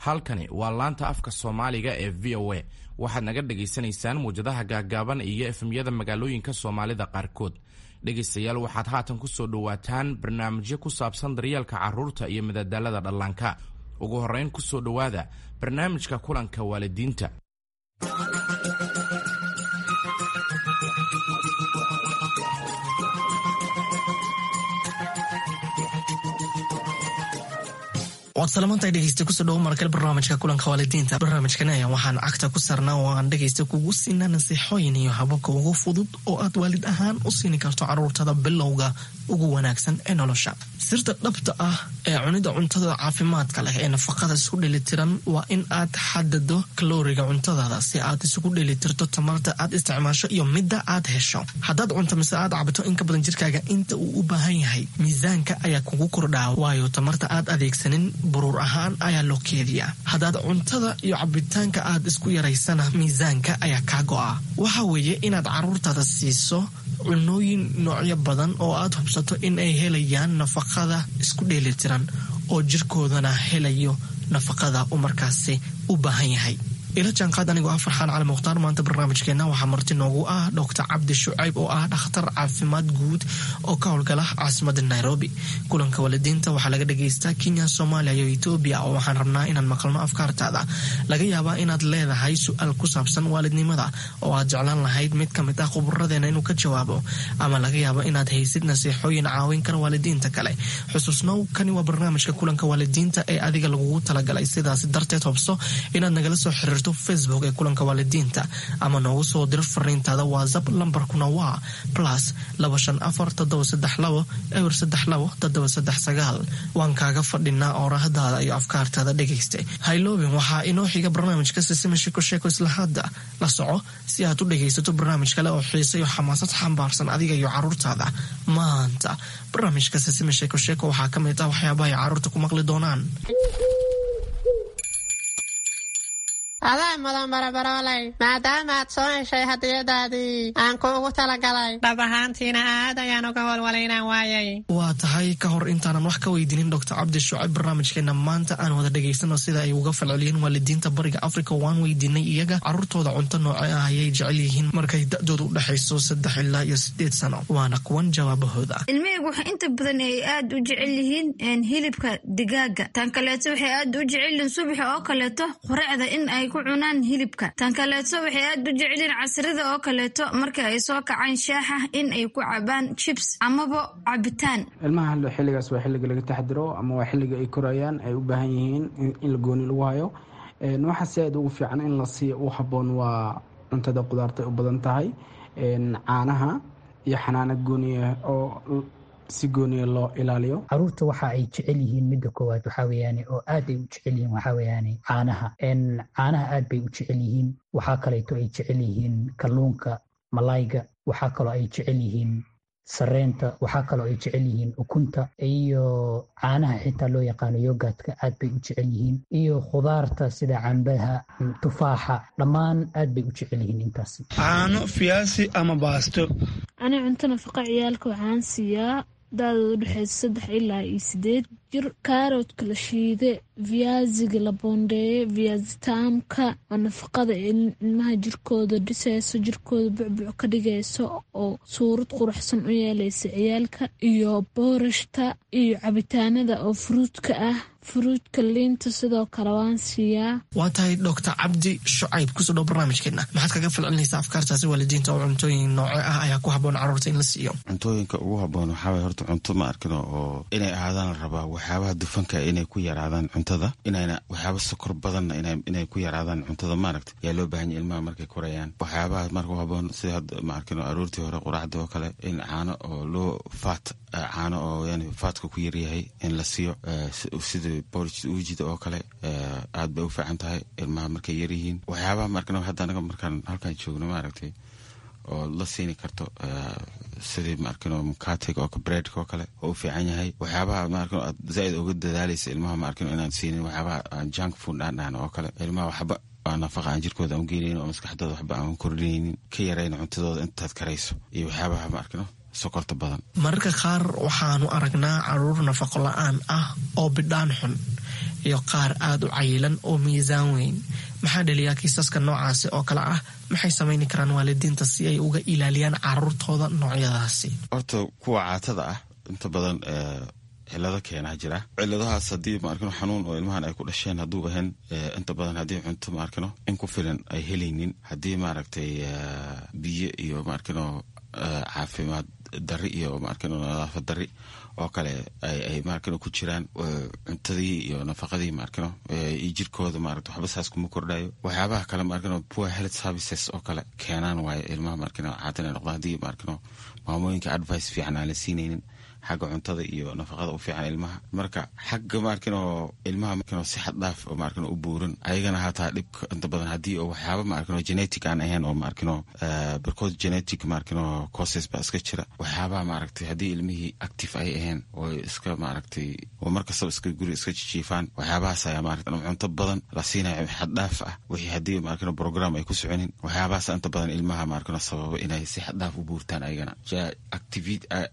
Halkani waa laanta afka Soomaaliga ee VOA. Waxaad naga dhagaysanaysaan muwjadaha gaaggaaban iyo FM-yada magaalooyinka Soomaalida qaarkood. Dhegaystayaal, waxaad haatan ku soo dhowaataan barnaamijyo ku saabsan daryeelka carruurta iyo madadaalada dhallaanka. Ugu horrayn, ku soo dhowaada barnaamijka kulanka waalidiinta. Waad salamantahay, dhegeysta. Kusoo dhawo markale barnaamijka kulanka waalidiinta. Barnaamijkan ayaa waxaan cagta ku saarnaa oo aan dhegeysta kugu siinaa nasiixooyin iyo hababka ugu fudud oo aad waalid ahaan u siini karto caruurtada bilowga ugu wanaagsan ee nolosha. Sirta dhabta ah ee cunida cuntada caafimaadka leh ee nafaqada isku dheelitiran waa in aad xadado kalooriga cuntadaada si aad isugu dheelitirto tamarta aad isticmaasho iyo midda aad hesho. Haddaad cunto mise aad cabto in ka badan jirkaaga inta uu u baahan yahay, miisaanka ayaa kugu kordhaa, waayo tamarta aad adeegsanin buruur ahaan ayaa loo keediyaa. Haddaad cuntada iyo cabitaanka aad isku yaraysana, miisaanka ayaa kaa go'a. Waxa weeye inaad caruurtaada siiso cunooyin noocyo badan oo aad hubsato in ay helayaan nafaqada isku dheelitiran oo jirkoodana helayo nafaqada uu markaasi u baahan yahay. Ila jaanqaad anigoo ah Farxaan Cali Mukhtaar. Maanta barnaamijkeenna waxaa marti noogu ah Doctor Cabdi Shucayb oo ah dhakhtar caafimaad guud oo ka howlgala caasimada Nairobi. Kulanka waalidiinta waxaa laga dhagaystaa Kenya, Soomaaliya iyo Etoobiya, oo waxaan rabnaa inaan maqalno afkaartaada. Laga yaabaa inaad leedahay su-aal ku saabsan waalidnimada oo aad jeclaan lahayd mid ka mid ah khuburadeena inuu ka jawaabo, ama laga yaabo inaad haysid nasiixooyin caawin kara waalidiinta kale. Xusuusnow, kani waa barnaamijka kulanka waalidiinta ee adiga lagugu talagalay. Sidaas darteed, hobso inaad nagala soo xiriirto Facebook ee kulanka waalidiinta ama noogu soo diro fariintaada WhatsApp. Lambarkuna waa +254 732 032 739. Waan kaaga fadhinaa oorahdaada iyo afkaartaada, dhegaysta. Hayloobin, waxaa inoo xiga barnaamijka Sisima Sheeko Sheeko. Isla hadda la soco si aad u dhegaysato barnaamij kale oo xiise iyo xamaasad xambaarsan adiga iyo caruurtaada. Maanta barnaamijka Sisima Sheeko Sheeko waxaa ka mid ah waxyaabaha ay caruurta ku maqli doonaan. Adaa mudan, barabaroolay, maadaama aad soo heshay hadiyadaadii aan kuugu talagalay. Dhab ahaantiina aad ayaan uga walwalay inaan waayay. Waa tahay. Ka hor intaanan wax ka weydiinin Doctor Cabdi Shucayb barnaamijkeena maanta, aan wada dhegaysano sida ay uga falceliyeen waalidiinta Bariga Africa. Waan weydiinay iyaga caruurtooda cunto nooce ah ayay jecel yihiin markay da-dooda u dhexayso 3 ilaa iyo 8 sano. Waana kuwan jawaabahooda. Ilmahaygu waxa inta badan ay aad u jecel yihiin hilibka digaaga. Tan kaleeto, waxay aad u jecel yihiin subaxa oo kaleeto quracda in ay ku cunaan hilibka. Tan kaleeto, waxay aad u jecelyihiin casrida oo kaleeto marka ay soo kacaan shaaxa in ay ku cabaan chips amaba cabitaan. Ilmaha xilligaas waa xilliga laga taxdiro ama waa xilliga ay korayaan, ay u baahan yihiin in la gooni lagu hayo. Waxa si aad ugu fiican in la siiyo u habboon waa cuntada qudaarta u badan tahay, caanaha iyo xanaano gooniya oo si gooniya loo ilaaliyo. Caruurta waxa ay jecel yihiin, midda koowaad waxaa weeyaane oo aad ay u jecel yihiin, waxaa weeyaane caanaha. Caanaha aad bay u jecel yihiin. Waxaa kaleeto ay jecel yihiin kalluunka, malayga. Waxaa kaloo ay jecel yihiin sareenta. Waxaa kaloo ay jecel yihiin ukunta iyo caanaha xitaa loo yaqaano yogurtka, aad bay u jecel yihiin, iyo khudaarta sida cambaha, tufaaxa, dhammaan aad bay u jecel yihiin intaasi. Caano, fiyaasi ama baasto. Ani cunto nafaqa ciyaalka waxaan siiyaa da-dooda udhexeysa 3 ilaa iyo 8 jir kaaroodka la shiide, viyaasiga la boondeeye, viyaasitaamka oo nafaqada ilmaha jirkooda dhiseyso, jirkooda bucbuc ka dhigayso oo suurad quruxsan u yeeleysa ciyaalka, iyo boorashta iyo cabitaanada oo fruitka ah, fruitka, liinta sidoo kale waan siiyaa. Waa tahay. Doctor Cabdi Shucayb, kusoo dhow barnaamijkeena. Maxaad kaga falcelinaysaa afkaartaasi waalidiinta oo cuntooyin nooce ah ayaa ku habboon carruurta in la siiyo? Cuntooyinka ugu habboon waxaa waye horta cunto, ma arkino, oo inay ahaadaan la rabaa waxyaabaha dufanka inay ku yaraadaan cuntada, inayna waxyaaba sokor badanna inay ku yaraadaan cuntada, maaragta, yaa loo baahan yahay ilmaha markay korayaan. Waxyaabaha marka u habboon sida hadda, ma arkino, aroortii hore quraacda oo kale in caano oo loo fat, caano oo yani fatka ku yaryahay in la siiyo, sida porridge uujida oo kale, aad bay u fiican tahay ilmaha markay yaryihiin. Waxyaabaha, ma arkino, hadda anaga markaan halkaan joogno, maaragtay, oo la siini karto sidii, ma arkino, mukatiga oo breadka oo kale oo u fiican yahay. Waxyaabaha, ma arkino, aad zaaid uga dadaalaysa ilmaha, ma arkino, inaan siinin waxyaabaha aan junk food aan dhahno oo kale. Ilmaha waxba aan nafaqa aan jirkooda aan u geenaynin oo maskaxdooda waxba aan kordhinaynin, ka yarayna cuntadooda intaad karayso, iyo waxyaabaha, ma arkino, sokorta badan. Mararka qaar waxaanu aragnaa caruur nafaqo la-aan ah oo bidhaan xun. iyo qaar aada u cayilan oo miisaan weyn. Maxaa dhaliyaa kiisaska noocaasi oo kale ah? Maxay samayni karaan waalidiinta si ay uga ilaaliyaan caruurtooda noocyadaasi? Horta kuwa caatada ah inta badan cilado keenaa jira. Ciladahaas haddii maarkino xanuun oo ilmahan ay ku dhasheen hadduu ahayn, inta badan haddii cunto maarkino in ku filan ay helaynin, haddii maaragtay biyo iyo maarkino caafimaad dari iyo maarkino nadaafad dari oo kale ay maarkino ku jiraan, cuntadii iyo nafaqadii maarkino iyo jirkooda maaragta waxba saas kuma kordhayo. Waxyaabaha kale maarkino poor health services oo kale keenaan waaye ilmaha maarkino caatan ay noqdaan, haddii maarkino maamooyinka advice fiican aan la siinaynin xagga cuntada iyo nafaqada u fiican ilmaha. Marka xagga maarkino ilmaha maarkino si xad dhaaf oo maarkino u buuran ayagana hataa dhibka inta badan haddii oo waxyaaba maarkino genetic aan ahayn oo maarkino barkood genetic maarkino causes baa iska jira. Waxyaabaha maaragtay haddii ilmihii active ay ahayn oo iska maaragtay oo markastaba iska guri iska jijiifaan, waxyaabahaas ayaa maaragtay cunto badan la siinayo xad dhaaf ah, wixii haddii maarkino program ay ku soconin, waxyaabahaas inta badan ilmaha maarkino sababa inay si xad dhaaf u buurtaan ayagana.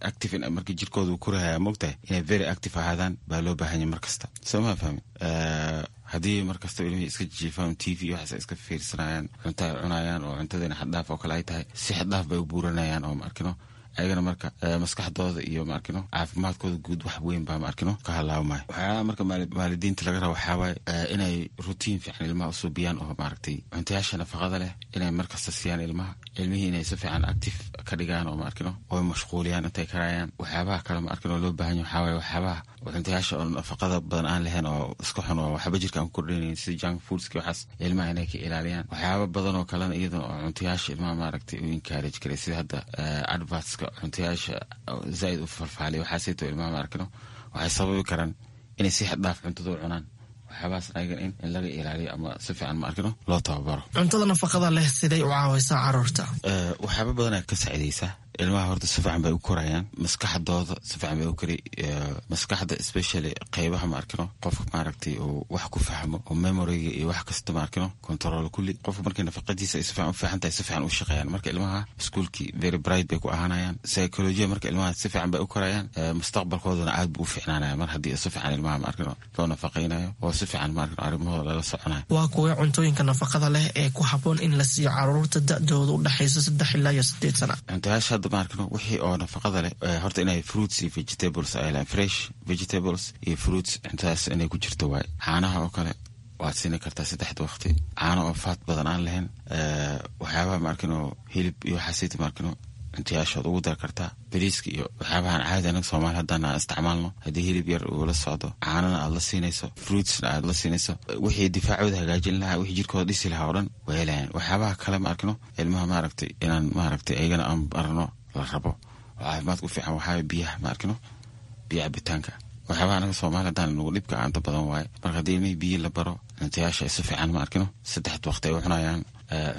Active marka jirkooda uu korahaya, moogtahay inay very active ahaadaan baa loo baahanya mar kasta, soo ma fahmin? Haddii markasta ilmihii iska jiifaan, TV iyo waxaas ay iska fiirsanayaan, cunto ay cunayaan oo cuntadiina xaddhaaf oo kale ay tahay, si xaddhaaf bay u buuranayaan oo maarkino ayagana marka maskaxdooda iyo maarkino caafimaadkooda guud wax weyn baa maarkino ka halaabmaya. Waxyaaba marka waalidiinta laga raba waxaawaaye inay routine fiican ilmaha usuubiyaan oo maaragtay cuntayaasha nafaqada leh inay markasta siiyaan ilmaha, ilmihii inay si fiican active ka dhigaan oo maarkino oo mashquuliyaan intay karayaan. Waxyaabaha kale maarkino loo baahan yahay waxaawaye waxyaabaha cuntayaasha oo nafaqada badan aan lahayn oo iska xun oo waxba jirka aan ku kordhinaynin, sida junk foodski, waxaas ilmaha inay ka ilaaliyaan. Waxyaaba badan oo kalena iyadana oo cuntayaasha ilmaha maaragtay u encourage karay, sida hadda advertska cuntayaasha zaaid u falfaaliya, waxaasayto ilmaha maarkino waxay sababi karaan inay si xad dhaaf cuntada u cunaan. Waxyaabahaas ayagan in laga ilaaliyo ama si fiican maarkino loo tababaro. Cuntada nafaqada leh siday u caawaysaa caruurta? Waxyaaba badanaa ka saacidaysaa ilmaha. Horta si fiican bay u korayaan, maskaxdooda si fiican bay u kori, maskaxda especially qeybaha maarkino qofka maaragtay uu wax ku fahmo oo memoryga iyo wax kasta maarkino control kulli. Qofka markay nafaqadiisa ay si fiican u fiican tahay, si fiican u shaqeeyaan. Marka ilmaha iskuulkii very bright bay ku ahaanayaan, psychology marka ilmaha si fiican bay u korayaan, mustaqbalkoodana aad buu u fiicnaanaya mar haddii si fiican ilmaha maarkino loo nafaqaynayo oo si fiican maarkino arrimahooda lala soconayo. Waa kuwee cuntooyinka nafaqada leh ee ku habboon in la siiyo caruurta da-dooda u dhexayso 3 ilaa iyo 8 sana? Cuntayaasha hadda maarkino wixii oo nafaqada leh horta inay fruits iyo vegetables ay lahayn, fresh vegetables iyo fruits, cuntadaas inay ku jirto waaye. Caanaha oo kale waad siini kartaa saddexda waqti, caano oo fat badan aan lahayn. Waxyaabaha maarkino hilib iyo waxaasita maarkino cuntayaashood ugu dar kartaa. Bariiska iyo waxyaabahan caadi anaga Soomaali haddaan aan isticmaalno, haddii hilib yar uu la socdo, caanana aad la siinayso, fruitsna aad la siinayso, wixii difaacooda hagaajin lahaa, wixii jirkooda dhisi lahaa oo dhan way helayaan. Waxyaabaha kale ma arkino ilmaha maaragtay inaan maaragtay ayagana aan barno la rabo oo caafimaadka u fiican waxaa biyaha ma arkino, biyo cabitaanka. Waxyaabaha anaga Soomaali haddaan nagu dhibka inta badan waaye. Marka haddii ilmihii biyo la baro, cuntayaasha ay si fiican ma arkino saddexda waqti ay u cunayaan,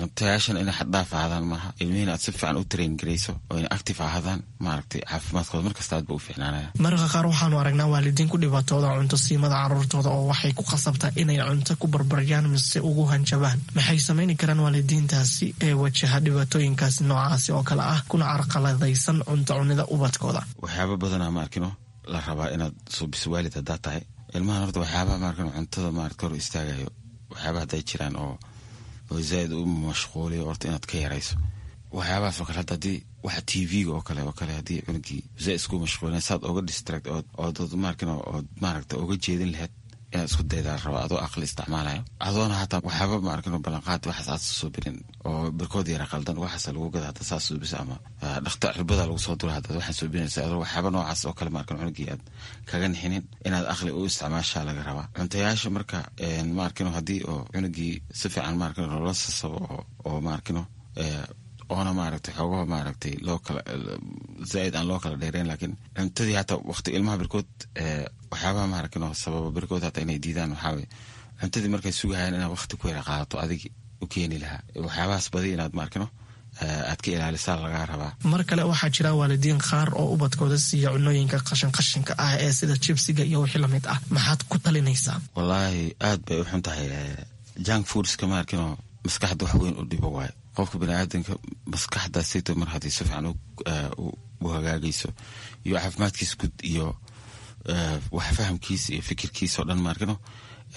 cuntayaashana inay xaddhaaf ahaadaan maaha, ilmihiina aad si fiican u train garayso oo inay active ahaadaan, maaragtay caafimaadkooda markasta aad ba u fiicnaanaya. Mararka qaar waxaanu aragnaa waalidiin ku dhibaatooda cunto siimada caruurtooda oo waxay ku khasabtaa inay cunto ku barbaryaan mise ugu hanjabaan. Maxay samayni karaan waalidiintaasi ee wajaha dhibaatooyinkaasi noocaasi oo kale ah kuna carqaladaysan cunto cunida ubadkooda? Waxyaaba badanaa ma arkino la rabaa inaad suubiso waalid haddaad tahay ilmahan. Horta waxyaabaha maarkino cuntada maarata hor istaagayo, waxyaabaha hadday jiraan oo zaaid u mashquuliyo, horta inaad ka yarayso waxyaabahaas oo kale. Hadda haddii waxa TV-ga oo kale haddii cunugii zaaid isku mashquulina, saad oga distract ood maarkino ood maaragta oga jeedin lahayd inaad isku daydaa raba, adoo aqli isticmaalayo, adoona hataa waxyaaba maarkino ballanqaad waxaas aad suubirin oo barkood yara qaldan waxaas lagu gada hadda saas suubisa ama dhakta cirbada lagu soo dura haddaad waxaan suubinaysa, adoo waxyaaba noocaas oo kale maarkino cunugii aad kaga nixinin, inaad aqli u isticmaashaa laga rabaa cuntayaasha. Marka maarkino haddii oo cunugii si fiican maarkino loola sasabo oo maarkino oona maaragtay xoogaha maaragtay loo kala zaaid aan loo kala dheereyn, laakiin cuntadii hataa waqti ilmaha barkood waxyaabaha maaragtay sababa barkood hataa inay diidaan waxaa waye cuntadii markay sugahayaan inaad waqti ku yara qaadato adig u keeni lahaa. Waxyaabahaas badi inaad maarkino aad ka ilaalisaa lagaa rabaa. Mar kale waxaa jira waalidiin qaar oo ubadkooda siiya cunooyinka qashin qashinka ah ee sida jibsiga iyo wixii lamid ah. Maxaad ku talinaysaa? Wallaahi aad bay u xun tahay junk foodska maarkino, maskaxda wax weyn u dhibo waayo. Qofka baniaadanka maskaxdaasito mar haddii si fiican u hagaagayso iyo caafimaadkiisa guud iyo wax fahamkiisa iyo fikirkiisa oo dhan maarkino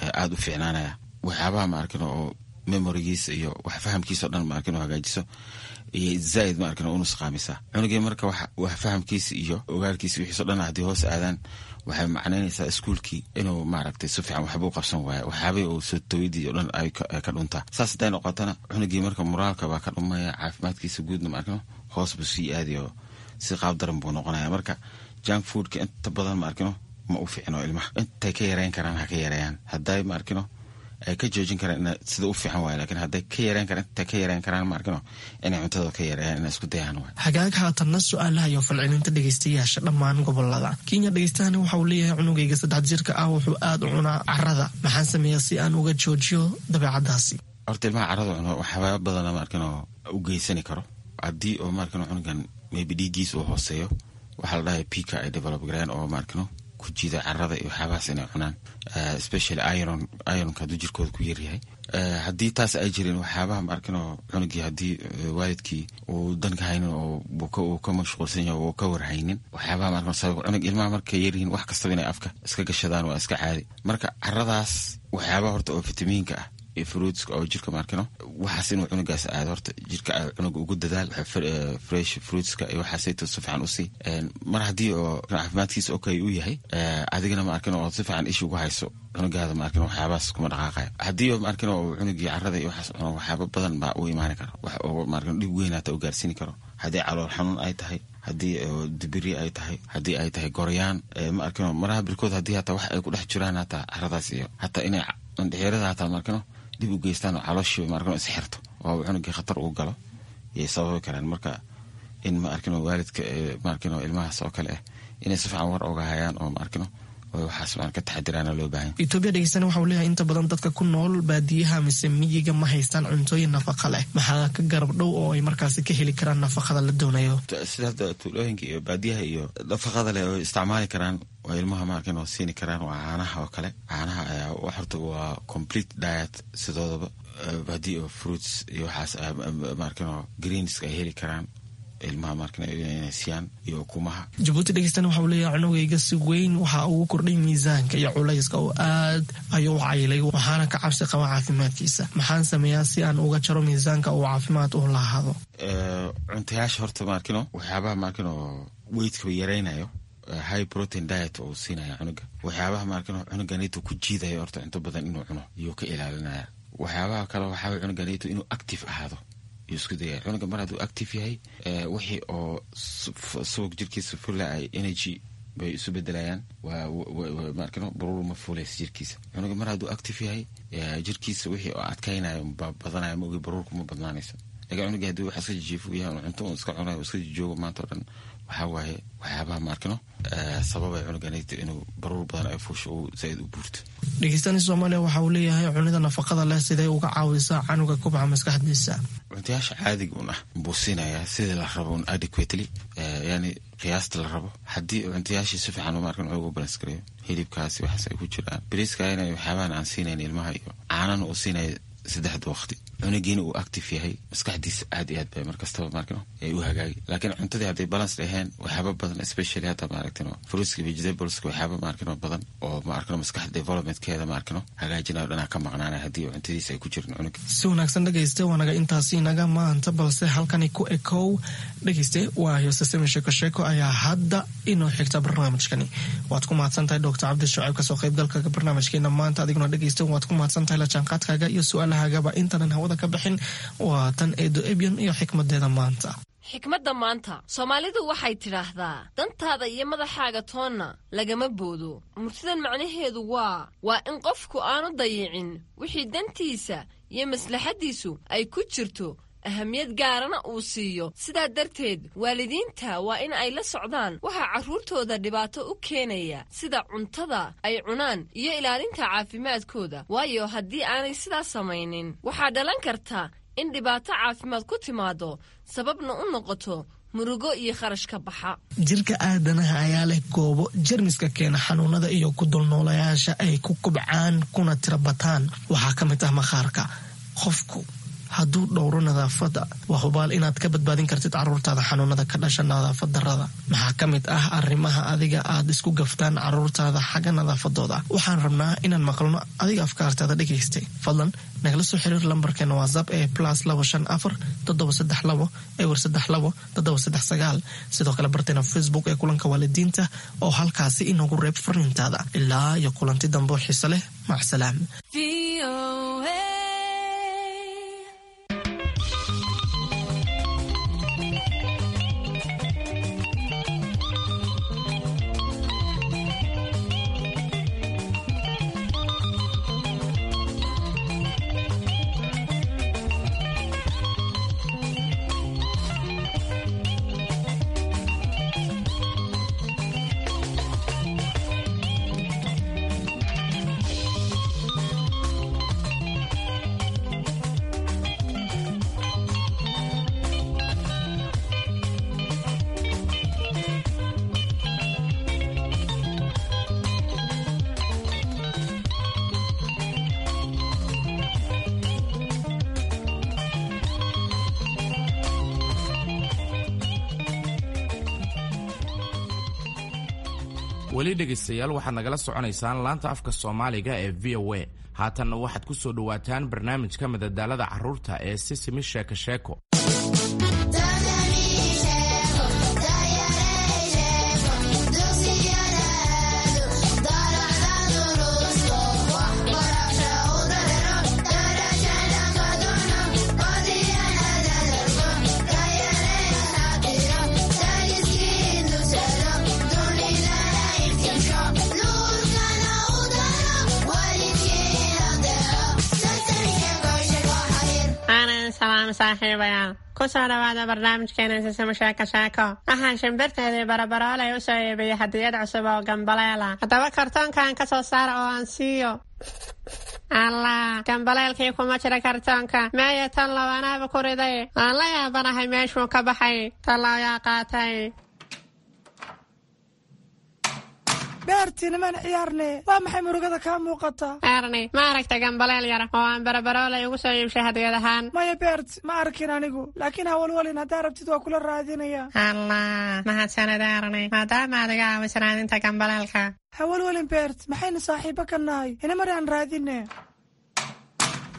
Aada u fiicnaanaya waxyaabaha ma arkin oo memorigiisa iyo wax fahamkiisa o dhan ma arkin oo hagaajiso iyo zaaid ma arkin oo unusqaamisa cunugii. Marka wax fahamkiisa iyo ogaalkiisa wixiiso dhan haddii hoos aadaan, waxay macnaynaysaa iskuulkii inuu maaragtay si fiican waxba u qabsan waayo, waxyaabihii uu soo tawidii o dhan ay ka dhuntaa. Saas hadday noqotana, cunugii marka moraalka baa ka dhumaya, caafimaadkiisa guudna ma arkino hoos buu sii aadayo, si qaab daran buu noqonaya. Marka junk foodka inta badan ma arkino ma u fiicno ilmaha. Intay ka yareyn karaan ha ka yareeyaan. Hadday ma arkino ay ka joojin karaan sida u fiican waay, lakin hadday ka yareyn karaan, intay ka yareyn karaan ma arkino inay cuntada ka yareeyaan, inay isku dayaan waay. Hagaag, haatanna su-aalaha iyo falcelinta dhegeystayaasha dhammaan gobolada Kenya. Dhegeystahani waxa uu leeyahay: cunugayga 3 jirka ah wuxuu aada u cunaa carada, maxaan sameeyaa si aan uga joojiyo dabeecadaasi? Horta ilmaha carada cuno waxyaaba badana ma arkino u geysani karo. Haddii oo ma arkino cunugan maybe dhiiggiis uu hooseeyo, waxaa la dhahay pica ay develop gareen oo ma arkino ku jiida carada iyo waxyaabahaas inay cunaan, especially iron. Ironka hadduu jirkooda ku yaryahay, haddii taas ay jirin, waxyaabaha ma arkino cunugii haddii waalidkii uu danka haynin oo uu ka mashquulsan yahay oo ka warhaynin, waxyaabaha ma arkino sabab cunug ilmaha markay yaryihiin wax kastaba inay afka iska gashadaan waa iska caadi. Marka caradaas waxyaabaha horta oo fitamiinka ah iyo fruitska oo jirka maarkino waxaas inuu cunugaas aado, horta jirka cunuga ugu dadaal fresh fruitska iyo waxaasayto si fiican usii. Mar haddii oo caafimaadkiisa okay uu yahay, adigana ma arkin oo si fiican ish ugu hayso cunugaada, ma arkin waxyaabahaas kuma dhaqaaqaya. Haddii oo ma arkin oo cunugii carada iyo waxaas cuno, waxyaaba badan baa u imaani kara, wax oo ma arkin dhib weyn hata u gaarsiini karo. Haddii calool xanuun ay tahay, haddii dibiri ay tahay, haddii ay tahay goryaan, ma arkino maraha birkood, haddii hataa wax ay ku dhex jiraan hataa caradaas iyo hataa inay indhexeerada hataa ma arkino dib u geystaan oo calooshii ma arkino isxirto oo cunugii khatar uu galo yay sababi karaan. Marka in ma arkino waalidka ma arkino ilmahaas oo kale ah inay si fiican war oga hayaan oo ma arkino oo waxaas maan ka taxadiraana loo baahan. Etoobiya dhegeystana waxa uu leeyahay: inta badan dadka ku nool baadiyaha mise miyiga ma haystaan cuntooyin nafaqa leh, maxaa ka garab dhow oo ay markaasi ka heli karaan nafaqada la doonayo? Sida hadda tuulooyinka iyo baadiyaha iyo nafaqada leh oo isticmaali karaan oo ilmaha ma arkin oo siini karaan waa caanaha oo kale. Caanaha ayaa horta waa complete diet sidoodaba. Haddii oo fruits iyo waxaas ma arkin oo greens ay heli karaan ilmaha markan inay siiyaan iyo ukumaha. Jabuuti dhegeystana waxa uu leeyahay: cunugayga si weyn waxa ugu kordhay miisaanka iyo culayska oo aad ayuu u cayilay, waxaana ka cabsi qaba caafimaadkiisa. Maxaan sameeyaa si aan uga jaro miisaanka uu caafimaad u lahaado? Cuntayaasha horta maarkino waxyaabaha maarkino weightkaba yaraynayo, high protein diet uu siinaya cunuga. Waxyaabaha maarkino cunuganito ku jiidayo horta cunto badan inuu cuno iyuu ka ilaalinaya. Waxyaabaha kale waxaa cunuganito inuu active ahaado yuu isku dayaya. Cunuga mar hadduu active yahay, wixii oo subag jirkiisa fula ay energy bay isu bedelayaan, maarkino baruur ma fuulaysa jirkiisa. Cunuga mar hadduu active yahay, jirkiisa wixii oo adkaynayo baa badanaya, ma ogi baruurku ma badnaanayso. Lakin cunuga haddii wax iska jijiifo yahay, cunto un iska cunayo, iska jijoogo maanta o dhan, waxaa waaye waxyaabaha maarkino sababay cunuganayta inuu baruur badan ay fuusho, uu zaaid u buurto. Dhegeystani Soomaaliya waxa uu leeyahay: cunida nafaqada leh sidee uga caawisaa canuga kubca maskaxdiisa? Cuntayaasha caadiga un ah buu siinayaa sidii la rabo un adequately, yani qiyaasta la rabo. Haddii cuntayaashii si fiican maarkan ugu balance gareeyo, hilibkaasi waxaas ay ku jiraan, bariiska inay waxyaabahan aan siinayn ilmaha iyo caanana uu siinaya saddexda waqti, cunugiina uu active yahay, maskaxdiisa aad iyo aad bay markastaba maarkino ay u hagaagi. Laakiin cuntadii hadday balance dhaheen, waxyaaba badan, especially hadda maaragtino fruitska, vegetables, waxyaaba maarkino badan oo maarkino maskaxda developmentkeeda maarkino hagaajinayo dhanaa ka maqnaanaya haddii cuntadiisa ay ku jirin cunuga. Si wanaagsan dhegeyste, waanaga intaasi inaga maanta, balse halkani ku ekow dhegeyste. Waa heesasami sheeko sheeko ayaa hadda inoo xigta barnaamijkani. Waad ku mahadsan tahay Doctor Cabdi Shucayb kasoo qaybgalka barnaamijkeena maanta. Adiguna dhegeyste waad ku mahadsan tahay la jaanqaadkaaga iyo su-aalahagaba. Intaanan hawada ka bixin, waa tan Eedo Ebyan iyo xikmadeeda maanta. Xikmadda maanta, Soomaalidu waxay tidhaahdaa: dantaada iyo madaxaaga toonna lagama boodo. Murtidan macnaheedu waa in qofku aanu dayicin wixii dantiisa iyo maslaxaddiisu ay ku jirto, ahamiyad gaarana uu siiyo. Sidaa darteed waalidiinta waa in ay la socdaan waxaa carruurtooda dhibaato u keenaya, sida cuntada ay cunaan iyo ilaalinta caafimaadkooda, waayo haddii aanay sidaas samaynin waxaa dhalan karta in dhibaato caafimaad ku timaado, sababna u noqoto murugo iyo kharash ka baxa. Jirka aadanaha ayaa leh goobo jermiska keena xanuunada iyo ku dulnoolayaasha ay ku kubcaan kuna tirabataan. Waxaa ka mid ah maqaarka. Qofku hadduu dhowro nadaafadda, waa hubaal inaad ka badbaadin kartid caruurtaada xanuunada ka dhasha nadaafad darrada. Maxaa ka mid ah arrimaha adiga aad isku gaftaan caruurtaada xagga nadaafadooda? Waxaan rabnaa inaan maqalno adiga afkaartaada dhegaystay. Fadlan nagala soo xiriir lambarkeena WhatsApp ee +254 732 032 739. Sidoo kale barteena Facebook ee Kulanka Waalidiinta oo halkaasi inoogu reeb fariintaada. Ilaa iyo kulanti dambe oo xiise leh, macsalaam. Weli dhegaystayaal, waxaad nagala soconaysaan laanta afka Soomaaliga ee VOA. Haatanna waxaad ku soo dhowaataan barnaamijka madadaalada carruurta ee Sisimi Sheeko Sheeko. Salaam saaxiibayaal, kusoo dhawaada barnaamijkeena Sisimo Sheeko Sheeko. Waxaan shimbirteedii Barabaroolay u soo iibiyey hadiyad cusub oo gambaleela. Haddaba kartoonkan ka soo saara oo aan siiyo. Allah, gambaleelkii kuma jira kartoonka. Meeya tan lawanaaba ku riday? Waan la yaabanahay meeshuu ka baxay. Tallo yaa qaatay? Beerti, nimaan ciyaarne. Waa maxay murugada kaa muuqata? Erni, ma aragta gambaleel yar oo aan Barabaroolay ugu soo iibshay hadiyad ahaan? Maya Beert, ma arkin anigu, laakiin hawalwalin, haddaa rabtid waa kula raadinaya. Allah, mahadsanid Erni, maadaama aad iga caawiso raadinta gambaleelka. Hawalwalin Beert, maxaynu saaxiibo ka nahay? Inamar aan raadine.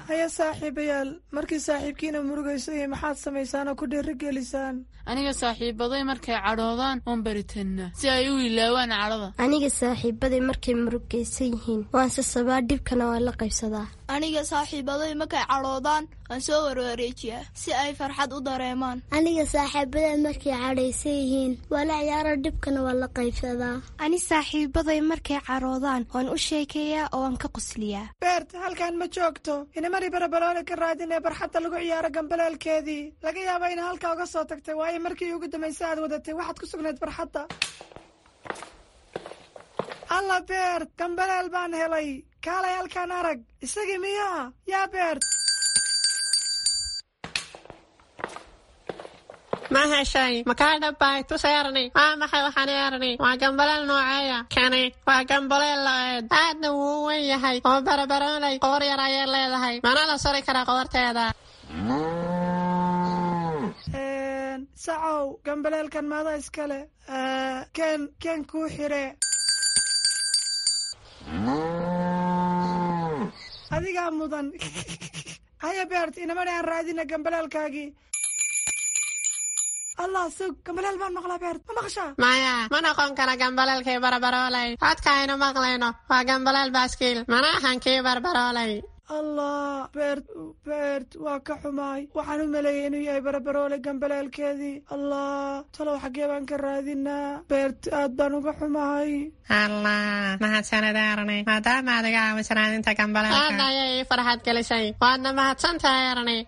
Haya saaxiibayaal, markii saaxiibkiina murugayso iyo maxaad samaysaan oo ku dhiirigelisaan? Aniga saaxiibaday markay cadhoodaan oon baritannaa si ay u ilaawaan cadhada. Aniga saaxiibaday markay murugaysan yihiin waan sasabaa, dhibkana waan la qaybsadaa. Aniga saaxiibaday markay cadhoodaan waan soo warwareejiyaa si ay farxad u dareemaan. Aniga saaxiibaday markay cadhaysan yihiin waa la ciyaaro, dhibkana waan la qaybsadaa. Ani saaxiibaday markay cadhoodaan waan u sheekeeyaa oo waan ka qosliyaa. Beert, halkan ma joogto. Inamari Barabaroole ka raadin ee barxadda lagu ciyaaro gambaleelkeedii. Laga yaaba ina halkaa uga soo tagtay, waayo markii ugu dambaysa aad wadatay waxaad ku sugnayd barxadda. Alla Beert, gambaleel baan helay. Kaalay halkaan arag. Isagii miyaa yaa Beert? Ma heshay? Makaa dhabbay? Tus Erni. Waa maxay waxaan Erni? Waa gambaleel nooceeya kani? Waa gambaleel lo-eed, aadna wuu u wen yahay oo Barabaroolay qoor yar ayay leedahay, mana la sari karaa qoorteeda. Sacow, gambaleelkan maada iskale? Ken ken kuu xire. Adigaa mudan. Haya Beert, inamani aan raadina gambaleelkaagii. Allah, sug, gambaleel baan maqlaa. Beert, ma maqashaa? Maya, ma noqon kara gambaleelkii Barabaroolay. Codka aynu maqlayno waa gambaleel baaskiil, mana ahan kii Barbaroolay. Allah Beert, Beert, waa ka xumaay. Waxaan u maleeyay inuu yahay Barabaroole gambaleelkeedii. Allah, talow xaggee baan ka raadinaa? Beert, aad baan uga xumahay. Allah, mahadsanid Erni, maadaama aad iga caawiso raadinta gambaleelka. Aad ayay ii farxad gelisay, waadna mahadsantahay Erni.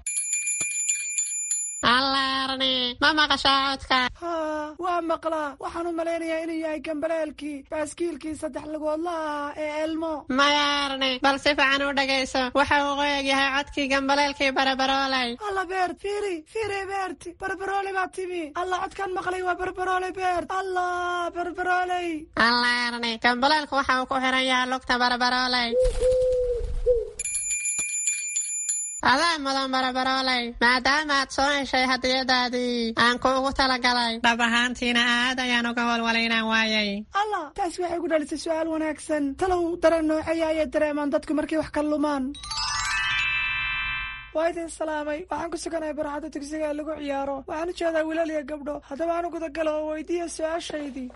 Allah Erni, ma maqashaa codka? Haa, waa maqlaa. Waxaan u malaynayaa inuu yahay gambaleelkii baaskiilkii saddex lugoodlaha ee Elmo. Maya Erni, bal si fiican u dhagayso. Waxa uu qoyag yahay codkii gambaleelkii Barabaroolay. Alla Beert, fiiri fiiri. Beert, Barabarooley baa timi. Allah, codkaan maqlay waa Barabarooley. Beert, Allah, Barabarooley. Allah Erni, gambaleelku waxa uu ku xiran yahay lugta Barabarooley. Adaa mudan Barabarooley, maadaama aad soo heshay hadiyadaadii aan kuugu talagalay. Dhab ahaantiina aad ayaan uga walwalay inaan waayay. Allah, taasi waxay ku dhalisay su'aal wanaagsan. Talow dareen nooceeya ayay dareemaan dadku markay wax ka lumaan? Waa idin salaamay. Waxaan ku suganahay barxadda dugsiga ee lagu ciyaaro. Waxaan u jeedaa wiilal iyo gabdho. Haddaba aan u gudagalo oo weydiiya su-aashaydii.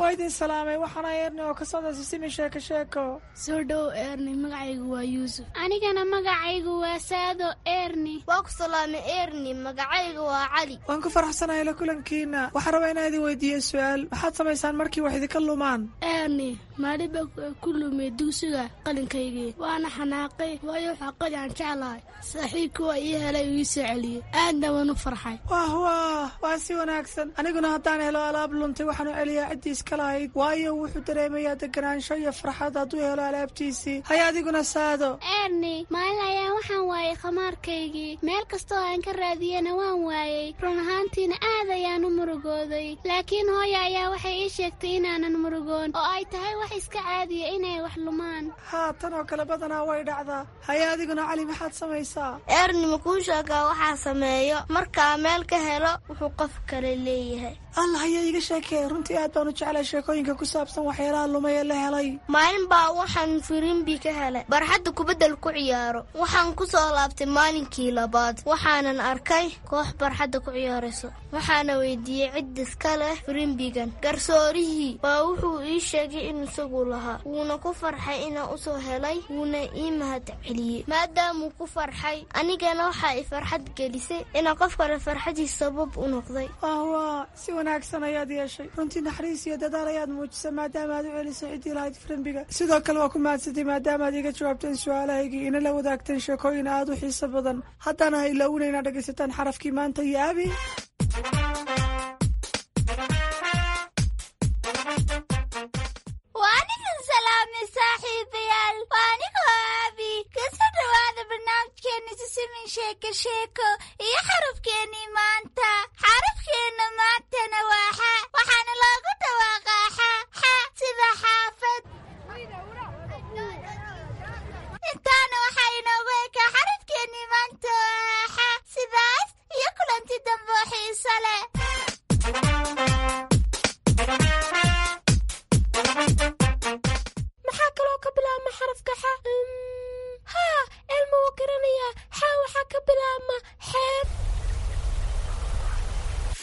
Waa idin salaamay, waxaana Eerni oo ka socda Sisimi Sheeko Sheeko. Soo dhow Eerni, magacaygu waa Yuusuf. Anigana magacaygu waa Saado Eerni. Waa ku salaamay Eerni, magacaygu waa Cali. Waan ku faraxsanahay la kulankiina. Waxaan rabaa inaan idin weydiiyo su-aal. Maxaad samaysaan markii wax idinka lumaan? Eerni, maalin baa ku lumay dugsiga qalinkaygii, waana xanaaqay, waayo waxaa qali aan jeclahay. Saaxiibkii waa ii helay oo ii soo celiyey, aadna waan u farxay. Wah wah, waa si wanaagsan. Aniguna haddaan helo alaab luntay, waxaan u celiyaa ciddii iska lahayd, waayo wuxuu dareemayaa deganaansho iyo farxad hadduu helo alaabtiisii. Haya adiguna Saado. Eerni, maalin ayaan waxaan waayay khamaarkaygii. Meel kastoo aan ka raadiyena waan waayey. Run ahaantiina aad ayaan u murugooday, laakiin hooya ayaa waxay ii sheegtay inaanan murugoon oo ay tahay wax iska caadiya inay wax lumaan. Haa, tan oo kale badanaa way dhacdaa. Haya adiguna Cali, maxaad samaysaa? Eerni, makuu sheegaa waxaa sameeyo markaa meel ka helo wuxuu qof kale leeyahay? Allah, ayaa iiga sheekee. Runtii aad baan u jeclay sheekooyinka ku saabsan waxyaalaha lumay ee la helay. Maalin baa waxaan firimbi ka helay barxadda kubaddal ku ciyaaro. Waxaan ku soo laabtay maalinkii labaad, waxaanan arkay koox barxadda ku ciyaarayso. Waxaana weydiiyey cid iska leh firimbigan. Garsoorihii baa wuxuu ii sheegay in isagu lahaa, wuuna ku farxay inaan usoo helay, wuuna ii mahad celiyey. Maadaamuu ku farxay, anigana waxaa i farxad gelisay inaan qof kale farxadiis sabab u noqday. Wah, si wanaagsan ayaad yeeshay. Runtii naxariis iyo dadaal ayaad muujisay maadaama aad u celisay ciddii lahayd firimbiga. Sidoo kale waa ku mahadsantay maadaama aad iga jawaabteen su-aalahaygii, ina la wadaagteen sheekooyin aad u xiiso badan. Haddana ha ilaawina inaad dhegaysataan xarafkii maanta iyo Abi. Waan idin salaamay saaxiibayaal, waa anigoo Aabi. Kasoo dhawaada barnaamijkeena Sisimin Sheeko Sheeko iyo xarafkeennii maanta. Xarafkeenna maantana waa xa, waxaana loogu dhawaaqaa xa xa, sida xaafad. Intaana waxaa inoogu ekaa xarafkeennii maanta oo xa. Sidaas iyo kulanti dambe oo xiiso leh. Maxaa kaloo ka bilaabma xarafka xa? Haa, Elma wuu garanayaa. Xa waxaa ka bilaabma xeeb.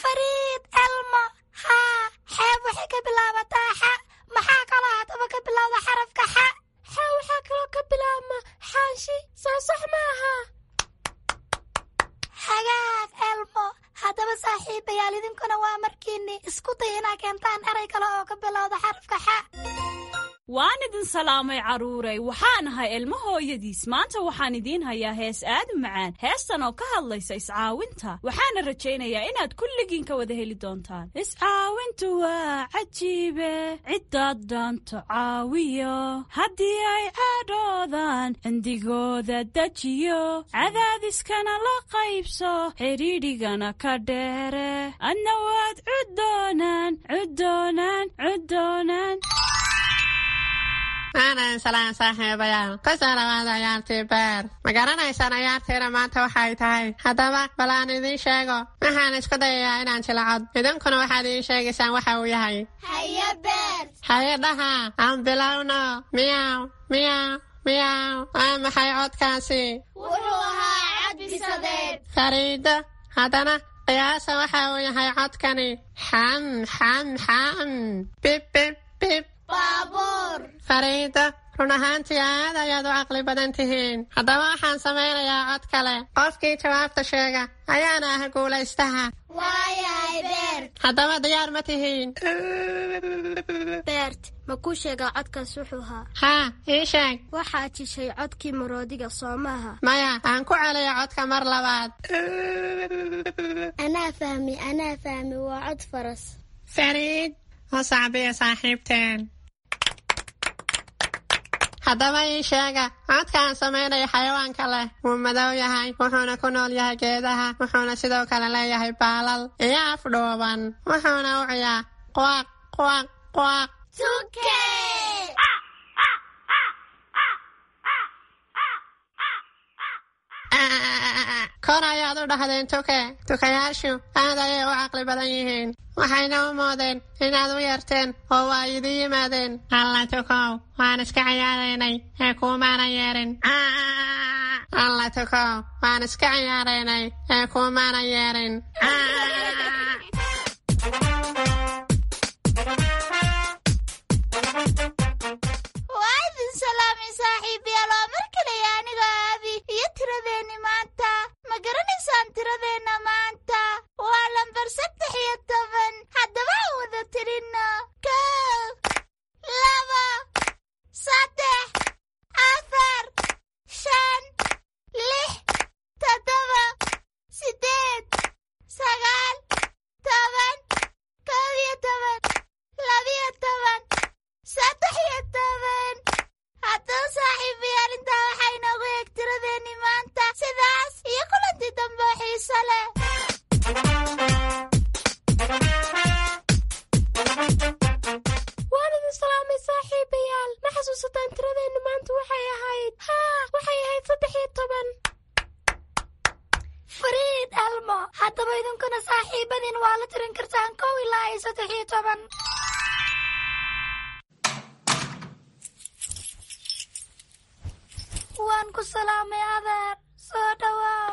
Fariid Elma, haa, xeeb waxay ka bilaabataa xa. Maxaa kaloo haddaba ka bilowda xarafka xa? Xa waxaa kaloo ka bilaabma xaanshi, soo sax maaha? Hagaag Elmo. Haddaba saaxiibayaal, idinkuna waa markiinni isku day inaa keentaan eray kale oo ka bilowda xarafka xa. Waan idin salaamay carruuray, waxaan ahay Ilmo hooyadiis. Maanta waxaan idiin hayaa hees aad u macaan, heestan oo ka hadlaysa iscaawinta. Waxaana rajaynayaa inaad kulligiin ka wada heli doontaan. Iscaawintu waa cajiibe, ciddaad dhaanto caawiyo, haddii ay cadhoodaan cindigooda dejiyo, cadaadiskana la qaybso, xidhiidhigana ka dheere, adna waad cuddoonaan cuddoonaan cuddoonaan. Waanan salaan saaxiibayaal, kusoo dhawaada ciyaartii Beer. Ma garanaysaan ciyaartiina maanta waxay tahay? Haddaba bal aan idiin sheego. Waxaan isku dayayaa inaan jilacod, idinkuna waxaad ii sheegaysaan waxa uu yahay. Haye Beer. Haye dhaha, aan bilowno. Miyaw miyaw miyaw, waa maxay codkaasi? Wuxuu ahaa cad bisadeed. Fariido, haddana qiyaasa waxa uu yahay codkani. Xam xam xam, bib bib bib. Baabuur. Fariido, run ahaantii aad ayaad u caqli badan tihiin. Haddaba waxaan samaynayaa cod kale. Qofkii jawaabta sheega ayaana ah guulaystaha. Waayahay Beert. Haddaba diyaar ma tihiin? Beert, ma kuu sheegaa codkaas wuxuu ahaa? Haa, ii sheeg. Waxaad jishay codkii maroodiga, soo maaha? Maya, aan ku celiyo codka mar labaad. Anaa fahmi, anaa fahmi, waa cod faras. Fariid, u sacbiya saaxiibteen. Haddaba ii sheega codka aan samaynayo xayawaanka leh. Wuu madow yahay, wuxuuna ku nool yahay geedaha, wuxuuna sidoo kale leeyahay baalal iyo af dhuuban, wuxuuna u ciyaa quaq quaq quaq. Tuke. Kor ayaad u dhahdeen tuke. Tukayaashu aad ayay u caqli badan yihiin, waxayna u moodeen inaad u yeerteen oo waa idin yimaadeen. Alla tukow, waan iska ciyaaraynay ee kuumaanan yeerin. Alla tukow, waan iska ciyaaraynay ee kuumaanan yeerin. Waa idin salaamay saaxiibayaal, waa mar kaleya anigoo Aabi iyo tiradeenni maanta. Ma garanaysaan tiradeenna maanta? Waa lambar 13. Haddaba aan wada tirinno: 1, 2, 3, 4, 5, 6, 7, 8, 9, 10, 11, 12, 13. Haddaba saaxiibayaal, intaa waxaa inoogu eeg tiradeenni maanta. Sidaas iyo kulantii dambe oo xiiso leh. Waan idin salaamay saaxiibayaal. Ma xasuusataan tiradeennu maanta waxay ahayd? Haa, waxay ahayd 13. Fariid Elmo, haddaba idinkuna saaxiibadiin waa la tirin kartaan 1 ilaa iyo 13. Waan ku salaamay adeer, soo dhawaa.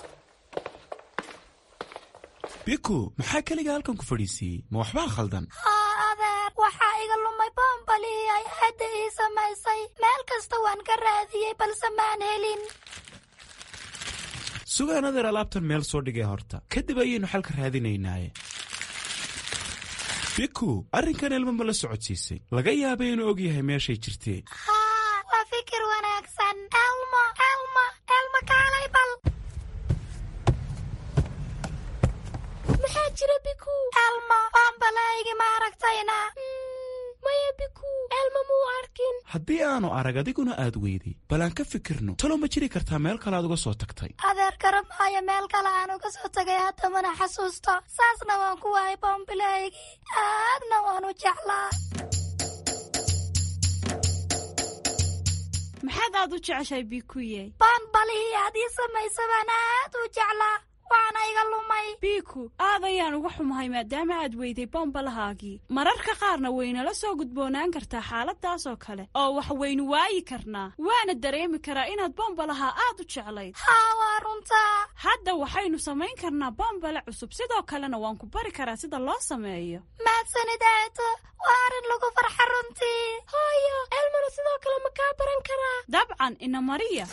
Biku, maxaa keliga halkan ku fadhiisiiyey? Ma waxbaa khaldan? Haa adeer, waxaa iga lumay boombalihii ay aadda ii samaysay. Meel kasta waan ka raadiyey balse maan helin. Sugaan adeer, alaabtan meel soo dhigay horta, kadib ayaynu xalka raadinaynaaye. Biku, arrinkan Elmo ma la socodsiisay? Laga yaabay inuu og yahay meeshay jirtee. Haa, waa fikir wanaagsan. Elmo, Elmo, Elmo, kaalay bal. Maxaa jira, Biku? Elmo, boombalahaygi ma aragtayna? Maya Biku, Elmo muu arkin. Haddii aanu arag adiguna aad weyday, bal aan ka fikirno. Talo ma jiri kartaa meel kale aad uga soo tagtay? Adeer, garamaayo meel kale aan uga soo tagay, hadda mana xasuusto. Saasna waan ku waayay boombilahaygii, aadna waan u jeclaa. Maxaad aad u jeceshahay, Bikuye? Boombalihii aad ii samaysa baan aad u jeclaa, waana iga lumay. Biku, aad ayaan uga xumahay maadaama aad weyday bombalahaagii. Mararka qaarna waynala soo gudboonaan kartaa xaaladaas oo kale oo wax waynu waayi karnaa, waana dareemi karaa inaad bombalaha aad u jeclayd. Haa, waa runtaa. Hadda waxaynu samayn karnaa bombale cusub, sidoo kalena waan ku bari karaa sida loo sameeyo. Mahadsanid aato, waa arrin lagu farxa runtii. Hooyo, Elmona sidoo kale ma kaa baran karaa? Dabcan, ina mariya.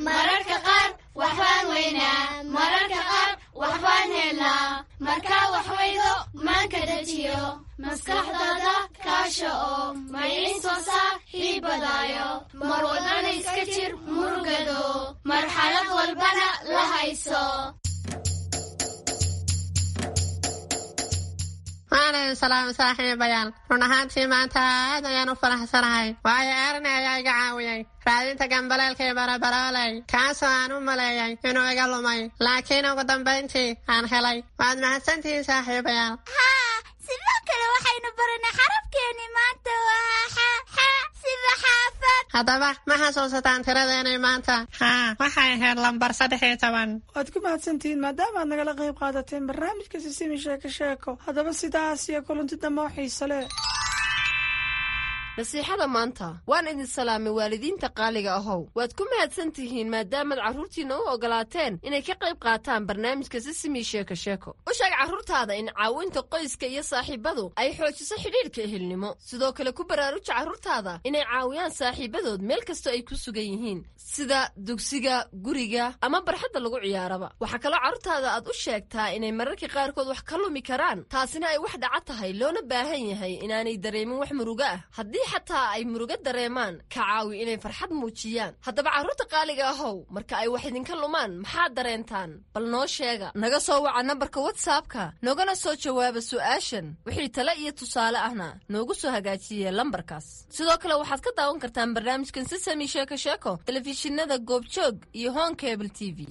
Mararka qaar waxbaan weynaa, mararka qaar waxbaan helnaa. Markaa wax weydo maanka dejiyo, maskaxdaada kaasha oo maydin soo saaxiibadaayo. Mar walbana iska jir murugado, marxalad walbana la hayso. Waan idin salaamay saaxiibayaal. Run ahaantii maanta aad ayaan u faraxsanahay, waayo Erni ayaa iga caawiyey raadinta gambaleelkii barabarooley, kaasoo aan u maleeyay inuu iga lumay, laakiin ugu dambayntii aan helay. Waad mahadsantihiin saaxiibayaal. Haa, sidoo kale waxaynu baranay xarafkeenni maanta waa xa, xa sida xaafad. Haddaba ma xasuusataan tiradeenay maanta? Haa, waxay ahayd lambar 13. Waad ku mahadsantihiin maadaama aad nagala qayb qaadateen barnaamijka Sisimi Sheeko Sheeko. Haddaba sidaas iyo kulanti dambe oo xiiso leh. Nasiixada maanta. Waan idin salaamay waalidiinta qaaliga ahow. Waad ku mahadsan tihiin maadaamaad carruurtiinna u ogolaateen inay ka qayb qaataan barnaamijka Sisimi Sheeko Sheeko. U sheeg carruurtaada in caawinta qoyska iyo saaxiibadu ay xoojiso xidhiidhka ehelnimo. Sidoo kale ku baraaruja carruurtaada inay caawiyaan saaxiibadood meel kastoo ay ku sugan yihiin, sida dugsiga, guriga ama barxadda lagu ciyaaraba. Waxaa kaloo carruurtaada aad u sheegtaa inay mararka qaarkood wax ka lumi karaan, taasina ay wax dhaca tahay, loona baahan yahay inaanay dareemin wax murugo ah. Haddii xataa ay murugo dareemaan, ka caawi inay farxad muujiyaan. Haddaba carruurta qaaliga ahow, marka ay wax idinka lumaan maxaad dareentaan? Bal noo sheega. Naga soo waca nambarka WhatsAppka, noogana soo jawaaba su'aashan. Wixii tale iyo tusaale ahna noogu soo hagaajiye lambarkaas. Sidoo kale waxaad ka daawan kartaan barnaamijkan Sisami Sheeko Sheeko telefishinada Goobjoog iyo Home Cable TV.